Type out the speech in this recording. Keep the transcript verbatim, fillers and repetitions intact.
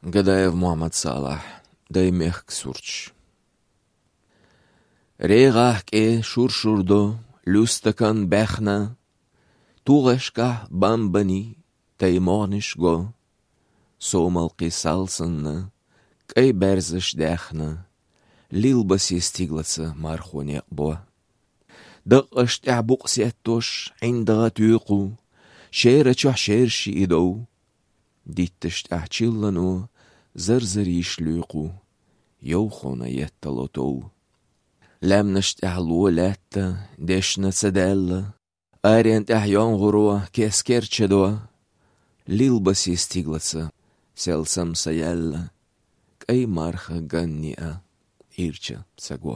Гадаев Мухьаммад-Салахь. Дай мехка сурташ. РегӀахь кӀе шур-шур до, луьстакан баьхна, тугӀашкахь бамбани, тай могӀнаш го. Сомалкхи сал санна, кӀай баьрзаш даьхна, лилба се стиглаца мархо некъ бо. Дакъаш тӀехь букъ сеттош, ӀиндагӀа туькъу, шера чохь шерши и дов. Дитташ тӀехь чиллано, зар-зар йиш луькъу, йовхона еттало тов. Лаьмнаш тӀехь ло лаьтта, дешна ца даьлла, арен тӀехь йонгӀуро кескер чадо. Лилба се стиглаца, сел сам са яьлла, кӀай марха ганни а ирча ца го.